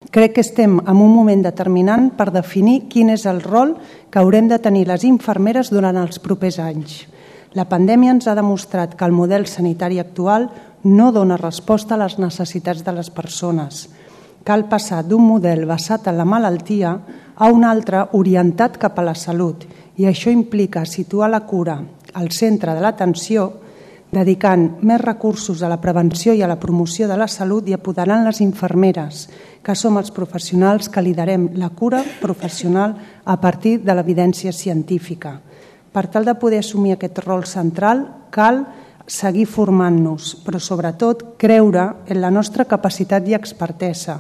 Crec que estem en un moment determinant per definir quin és el rol que haurem de tenir les infermeres durant els propers anys. La pandèmia ens ha demostrat que el model sanitari actual no dona resposta a les necessitats de les persones. Cal passar d'un model basat en la malaltia a un altre orientat cap a la salut, i això implica situar la cura al centre de l'atenció, dedicant més recursos a la prevenció i a la promoció de la salut i apoderant les infermeres, que som els professionals que liderem la cura professional a partir de l'evidència científica. Per tal de poder assumir aquest rol central, cal seguir formant-nos, però sobretot creure en la nostra capacitat i expertesa,